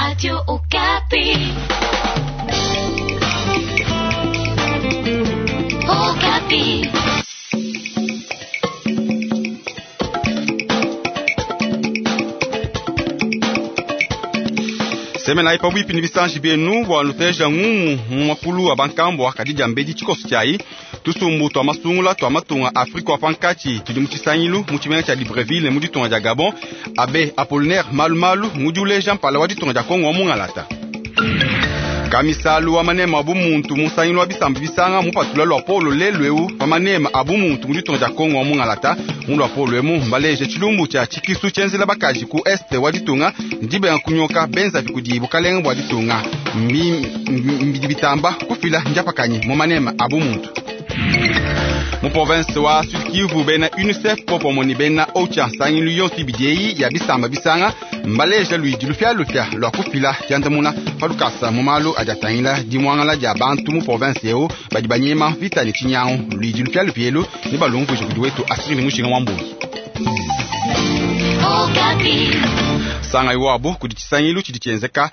Radio Okapi. Okapi. Semena pabuipi ni bisanji byenu bwa nuteja ngumu mu makulu wa bankambwa kadija mbedi tshikoso tshiayi tusumbu twa masungula twa matunga Afrika wa pankatshi tudi mu tshisangilu mu tshimenga tshia Libreville mu ditunga dia Gabon. Abe Apollinaire Malumalu ngudi uleja mpala wa ditunga dia Kongo wa mungalata. Kamisalu wa manema abu muntu mu nsangilu wa bisamba bisanga mupatula lwa polo lelu eu pa manema abu muntu mu ditunga dia Kongo wa mungalata. Mu lwa polo emu mbaleje tshilumbu tshia tshikisu tshienzela bakaji ku este wa ditunga ndibenga kunyoka benzavi kudi bukalenga bua ditunga mbidi bitamba kufila ndiapakanyi mu manema abu muntu. Mu province wa Sud Kivu bena UNICEF popomoni bena OCHA nsangilu yonso ibidi eyi ya bisamba bisanga mbaleja luidi lufialufia lua kufila diandamuna pa lukasa mu malu adi atangila dimuangala dia bantu mu province eu badi banyema mvita ne tshinyangu. Luidi lufialufia elu ne balumvuije kudi wetu asiri mushinga wa mbuyi. Sanga iwabo kudi tshisangilu tshidi tshienzeka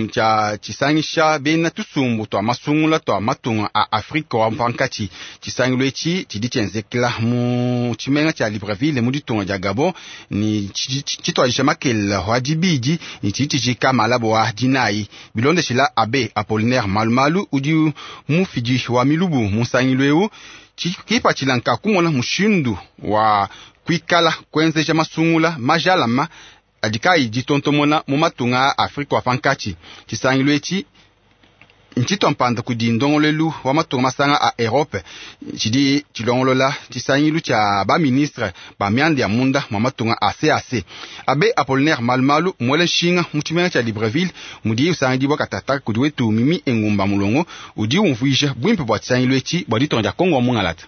tshia tshisangisha bena tusumbu twa masungula twa matunga a Afrika wa pankatshi. Tshisangilu etshi tshidi tshienzekela mu tshimenga tshia Libreville mu ditunga dia Gabon ni tshituadija makelela wa dibidi ni tshidi tshijika malabo wa dinayi. Bilondeshila Abe Apollinaire Malumalu udi mufidi wa milubu mu nsangilu eu kipatshila nka kumona mushindu wa kuikala kuenzeja masungula majalama adi kayi ditontomona mu matunga a Afrika wa pankatshi. Tshisangilu etshi ntshitwa mpanda kudi ndongoluelu wa matunga masanga a Europe tshidi tshilongolola tshisangilu tshia ba ministre ba mianda ya munda mwa matunga a CAC. Abe Apollinaire Malumalu mwele nshinga mu tshimenga tshia Libreville mudi usangidibwa katata kudi wetu Mimi Engumba Mulongo udi umvuija buimpe bua tshisangilu etshi bua ditunga dia Kongo wa mungalata.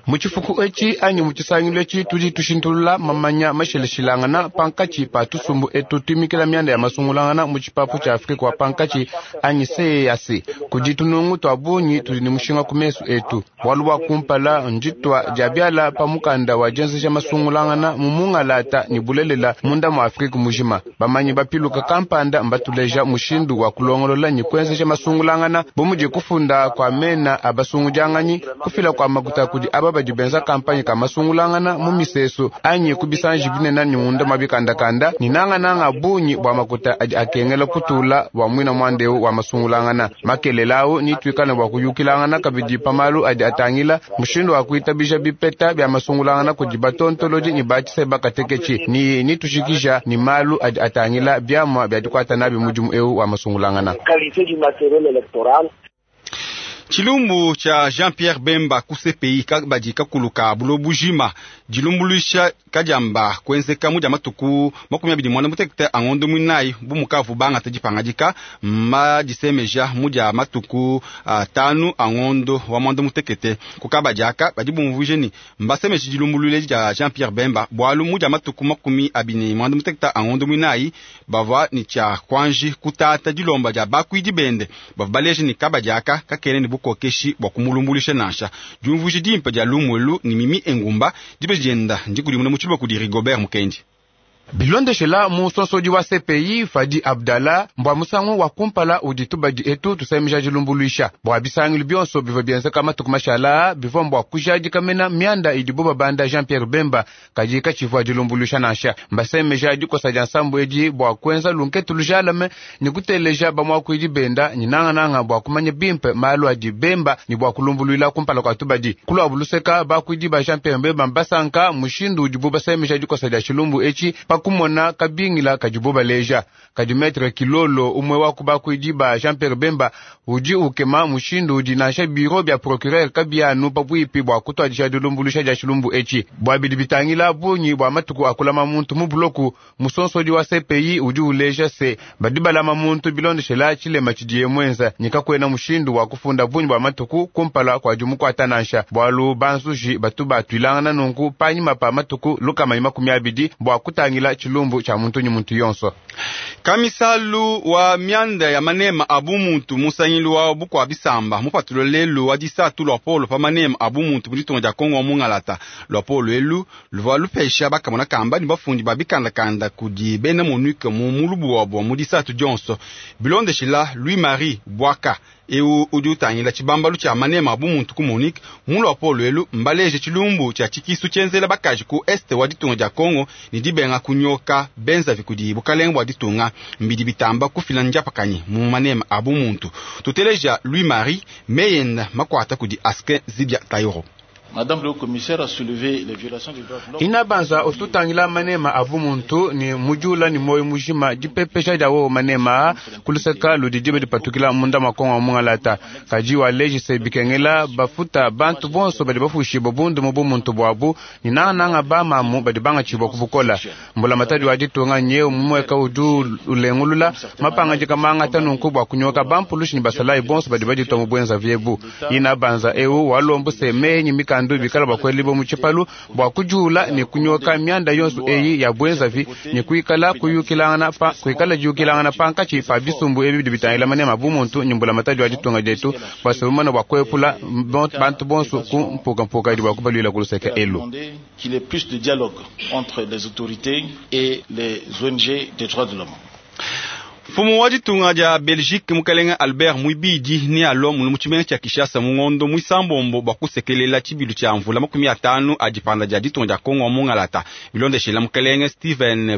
Mu tshifuku etshi anyi mu tshisangilu etshi tudi tushintulula mamanya mashilashilangana pankatshi pa tusumbu etu tuimikila mianda ya masungulangana mu tshipapu tshia Afrika wa pankatshi anyi CEEAC. Kudi tunungu twa bungi tudi ne mushinga ku mesu etu. Bualu bua kumpala nditwa dia biala pa mukanda wa dienzeja masungulangana mu mungalata ne bulelela munda mua Afrika mujima. Bamanyi bapiluka kampanda mbatuleja mushindu wa kulongolola ne kuenzeja masungulangana bu mudi kufunda kwa mena abasungudianganyi kufila kwa makuta kudi aba badi benza kampanye ka masungulangana mu misesu anyi ku bisanji binene ne munda mwa bikandakanda ni nangananga bungi bua makuta adi akengela kutula bua muina muandeu wa masungulangana. Makelela awu ni tuikale bua kuyukilangana kabidi pa malu adi atangila mushindu wa kuitabija bipeta bia masungulangana kudi batontolodi ni batshise bakateketshi ni nitushikisha ni malu adi atangila biamua bia dikuata nabi mudimu eu wa masungulangana. Tshilumbu tshia Jean-Pierre Bemba ku CPI kabadi kakulu ka buloba dilumbuluisha kadiamba kuenzeka mu dia matuku 28 a ngondo muinayi bu mukavu bangata dipangadika madisemeja mu dia matuku 5 a ngondo wa mwanda mutekete. Ku kabadi aka badi bumvuije ni mbasemeje dilumbuluile dia Jean-Pierre Bemba bualu mu dia matuku 28 a ngondo muinayi bavua ni tshia kuanji kutata dilomba dia bakuidi bende bavua baleje ni kabadi aka kakene ni bukokeshi bua kumulumbulisha nansha. Diumvuije dimpe dia lumwelu ni Mimi Engumba dibe dienda ndikudimuna mu tshiluba kudi Rigobert Mukendi. Bilondeshela musonsodi wa CPI Fadi Abdallah mbwa musangu wa kumpala udi tubadi etu tusemija dilumbuluisha bua bisangilu bionso bivua bienzeka matuku mashala bivua mbua kujadika mena mianda idibo babanda Jean Pierre Bemba kadi katshivua dilumbuluisha nansha. Mbasemeja dikosa dia nsambu edi bua kuenza lunketu lujalame ni kuteleja bamuakuidi benda ni nangananga bua kumanya bimpe malu adi Bemba ni bua kulumbuluila kumpala kua tubadi. Kuluabu luseka bakuidi ba Jean Pierre Bemba mbasanka mushindu udibo basemeja dikosa dia tshilumbu etshi pakumona kabingila kadibo baleja. Kadi Maître Kilolo umwe wa kubakuidi ba Jean Pierre Bemba udi ukema mushindu udi nansha bureau bia procureur kabianu pabuipi bua kutuadija dilumbuluisha dia tshilumbu etshi. Bua bidi bitangila bungi bua matuku akulama muntu mu buloku, musonsodi wa CPI udi uleja se badi balama muntu bilondeshela tshilema tshidiye muenza ni kakuena mushindu wa kufunda bungi bua matuku kumpala kua dimukuata nansha. Bualu banzuji batu batuilangana nunku panyima pa matuku 120 bua kutangila kutangila tshilumbu tshia muntu ne muntu yonso. Kamisalu wa mianda ya manema a bumuntu musangilu wa bukua bisamba mupatula lelu wa disatu luapolo pa manema a bumuntu mu ditunga dia Kongo wa mungalata. Luapolo elu luvua lupesha bakamona kamba ne bafundi ba bikandakanda kudi bena MONUC mu mulubu wabo mu disatu dionso. Bilondeshila Louis Marie Bwaka eu udi utangila tshibambalu tshia manema a bumuntu ku MONUC, mu luapolo elu mbaleje tshilumbu tshia tshikisu tshienzela bakaji ku est wa ditunga dia Kongo ne dibenga kunyoka benzavi kudi bukalenge bua ditunga mbidi bitamba kufila ndiapakanyi mu manema a bumuntu. Tuteleja Louis Marie meyenda makwata kudi Askin Zibia Tayoro. Madame le commissaire a soulevé les violations des droits de l'homme. Inabanza ututangila manema avu muntu ni mujula ni moyo mujima dipepesha dia wo manema kuluseka ludi dibe dipatukila munda makongo mungalata kaji wa lejise bikengela bafuta bantu bonso badi bafushibwa bundu mu bumuntu bwabu ni nananga ba mamu badi bangachibwa kubukola mbula matadi wa ditunga nyeu mumweka udu ulengulula mapanga jikamanga tanunku bwa kunyoka bampulushi ni basalayi bonso badi baditwa mu bwenza vyebu inabanza eu walombu se menyi mikandu bikala bakweli bo muchipalu bwa kujula ni kunyoka myanda yonso eyi ya bwenzavi ni kuikala kuyukilangana pa kuikala jukilangana pankachi pa bisumbu ebi bidi bitangila manema bumuntu nyumbula matadi wa ditunga dietu bwasebumana bwa kwepula bantu bonso ku mpukampuka idi bwa kubalwila kuluseka elu. Qu'il y ait plus de dialogue entre les autorités et les ONG des droits de l'homme. Mfumu wa ditunga dia Belgique mukalenga Albert Mwibidi ni alwa munu mu tshimenga tshia Kinshasa mu ngondo mwisambombo bua kusekelela tshibilu tshia mvula 50 a dipanda dia ditunga dia Kongo mungalata. Bilondeshela mukalenga Steven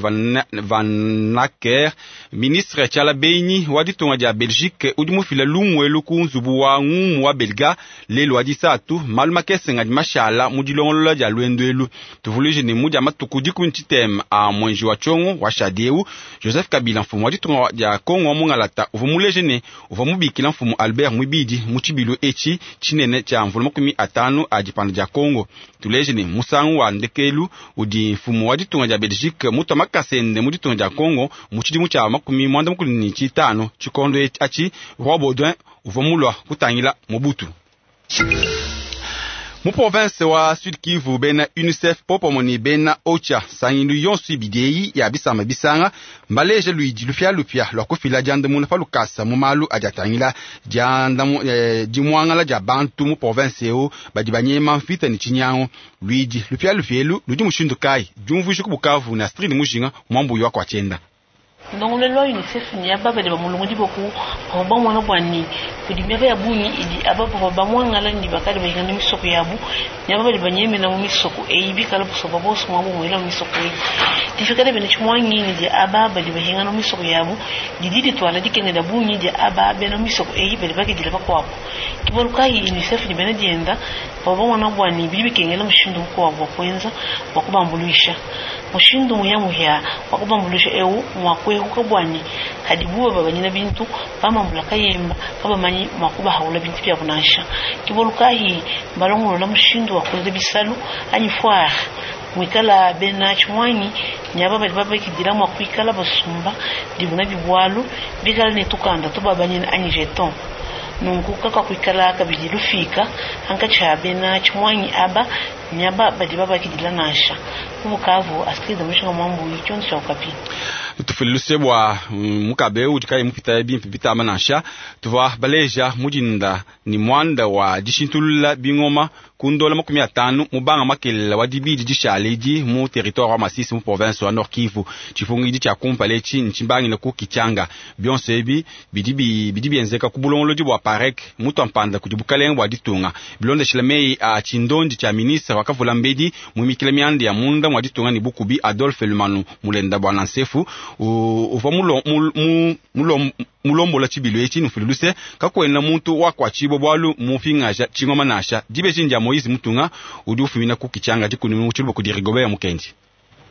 Van Acker, ministre tshiala benyi wa ditunga dia Belgique udi mufila lumuelu ku nzubu wa ngumu wa Belga lelu wa disatu malu makese ngadi mashala mu dilongolola dia lwenduelu. Tuvuluije ne mu dia matuku dikumi tshitema a mwenji wa tshongo wa shadieu Joseph Kabila mfumu wa ditunga dia Kongo mungalata uvua muleje ne uvua mubikila mfumu Albert Mwibidi mu tshibilu etshi tshinene tshia mvula 50 a dipanda dia Kongo. Tuleje ne musangu wa ndekelu udi mfumu wa ditunga dia Belgique mutwa makasende mu ditunga dia Kongo mu tshidimu tshia 95 tshikondo atshi Roi Baudouin uvua mulwa kutangila Mobutu. Mu province wa Sud Kivu bena UNICEF popomoni bena OCHA sangilu yonso ibidi ya bisamba bisanga mbaleje luidi lupia lupia lwa kufila diandamuna pa lukasa mu malu adi atangila dimwangala dia bantu mu province eu badi banyema mvita ne tshinyango. Luidi lupia lupia elu ludi mushindu kayi diumvuija ku Bukavu na Astrid Mujinga mwambuyi wa kwa tshienda. Ndongolelo wa UNICEF ni aba badi bamulongodi boku bavua bamona bua ne kudi miaba ya bungi idi aba bavua bamuangala ne bakadi bahingana misoko yabu ne aba badi banyemena mu misoko eyi bikala busoba bonso mua bumuela mu misoko eyi difikala bena tshimuangi ne dia aba badi bahingana mu misoko yabu didi dituala dikenga dia bungi dia aba bena misoko eyi badi bakidila bakuabu kibalu kayi UNICEF ne bena dienda bavua bamona bua ne bidi bikengela mushindu mukuabu wa kuenza bua kubambuluisha mushindu muyamuya wa kubambuluisha eu mua kuehuka bwani hadi buba babanyina bintu bamambula kayemba kabamanyi mwa kubahaula bintu bya kunansha kibolukahi balongolola mushindu wa kuenza bisalu anyi foire mwikala bena tshimwanyi nyaba badi babakidila mwa kuikala basumba dibuna bibwalu bikala ne tukanda tubabanyina anyi jeton nunku kaka kuikala kabidi lufika hankatsha bena tshimwanyi aba nyaba badi babakidila nansha kubukavu Astrid Mushinga mwambuyi tshionso tsha Okapi. Tufiluse bwa mukabe udi kayi mupita bimpe bitama nansha tuvua baleja mudinda ni mwanda wa dishintulula bingoma ku ndola 50 mubanga makelela wa dibidi dishale idi mu territoire wa Masisi mu province wa Nord Kivu. Tshipungidi tshia kumpala etshi ntshimbangile ku Kichanga bionso ebi bidi bienzeka ku bulongolodi bua PAREC mutu mpanda kudi bukalenge bua ditunga bilondeshela meyi a tshindondi tshia ministre wakavula mbedi muimikila mianda ya munda mwa ditunga ne bukubi Adolphe Lumanu Mulenda bwa Nansefu uvua mulombola tshibilu etshi nufululuse kakwena muntu wakwatshibwa bwalu mupingaja tshingoma nasha dibeji ndia Moise Mutunga udi ufumina ku Kichanga dikuni mu tshiluba kudi Rigobert Mukendi.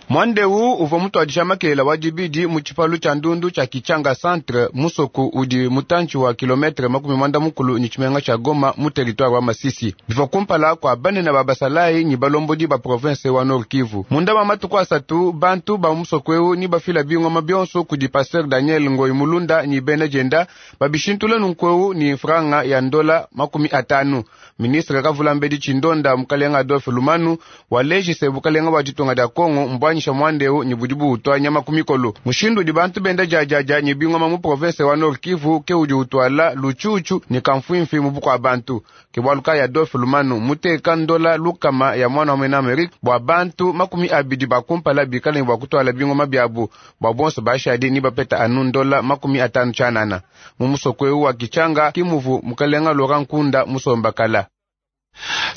Mwandeu uvua mutwadisha makelela wa dibidi mu tshipalu tshia ndundu tshia Kichanga centre musoku udi mutantshi wa kilometre 40 ni tshimenga tshia Goma mu territoire wa Masisi bivua kumpala kua banene ba basalayi ni balombodi ba province wa Nord Kivu. Munda wa matuku asatu bantu ba musoku eu ni bafila bingoma bionso kudi pasteur Daniel Ngoyi Mulunda ni bena jenda babishintula nunku ni franga ya ndola 50. Ministre kavula mbedi tshindonda mukalenga Adolphe Lumanu walejise bukalenga bwa ditunga dia Kongo mbwa kuanyisha muanda eu ne budi buutua nyama ku mikolo. Mushindu udi bantu benda diadiadia ne bingoma mu province wa Nord Kivu ke udi utuala lutshutshu ne kamfuimfi mu bukua bantu. Ke bualu kayi Adolphe Lumanu muteka ndola lukama ya mwana wa muena Amerika bua bantu 20 ba kumpala bikale ne bua kutuala bingoma biabu, bua bonso bashadi ni bapeta anu ndola 50 tshianana. Mu musoko eu wa Kichanga kimuvu mukalenga Laurent Nkunda musomba kala.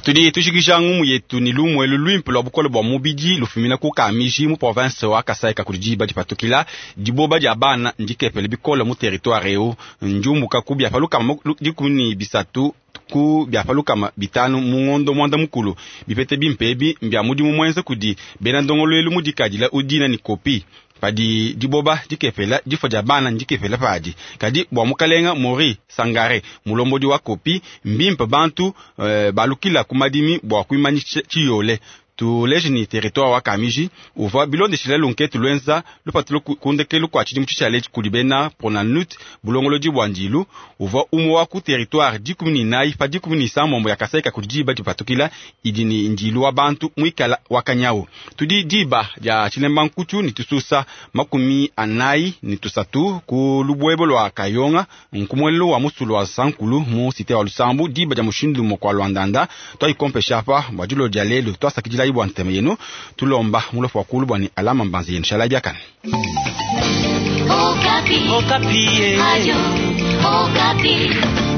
Tudi tushikisha ngumu yetu ni lumwe luimpe lwa bukole bua mubidi lufumina ku Kamiji mu province wa Kasai kakudi diba dipatukila diboba dia bana ndikepele bikole mu territoire eu njumbuka ku bia palukama 13 ku bia palukama 5 mu ngondo mwanda mukulu bipete bimpe ebi mbia mudimu mwenze kudi bena ndongoluelu mudikadila udina ni kopi padi diboba dikepela difo dia bana ndikepela padi kadi bua mukalenga Mori Sangare mulombodi wa kopi mbimpe bantu balukila ku madimi bua kuimanyisha tshiyole tuleje ni territoire wa Kamiji uvua bilondeshila lunketu lwenza lupatulo kundekelu kwa tshidimu tshishale kudi bena Pronanut bulongolodi bua ndilu uvua umwe wa ku territoire 14 pa 17 ya Kasai kudi diba dipatukila idi ni ndilu wa bantu mwikala wa kanyawu. Tudi diba dia tshilemba nkutu ni tususa 43 ku lubwebo lwa Kayonga nkumwelelo wa musulu wa Sankulu mu cité wa Lusambu diba dia mushindu mokwa Lwandanda twayikompesha apa bua dilo dia lelo twasakidila bwa nteme yenu tulomba mulofu wa kulu bwa ni alama mbanzi yenu shala biakane. Okapi. Okapi. Radio Okapi.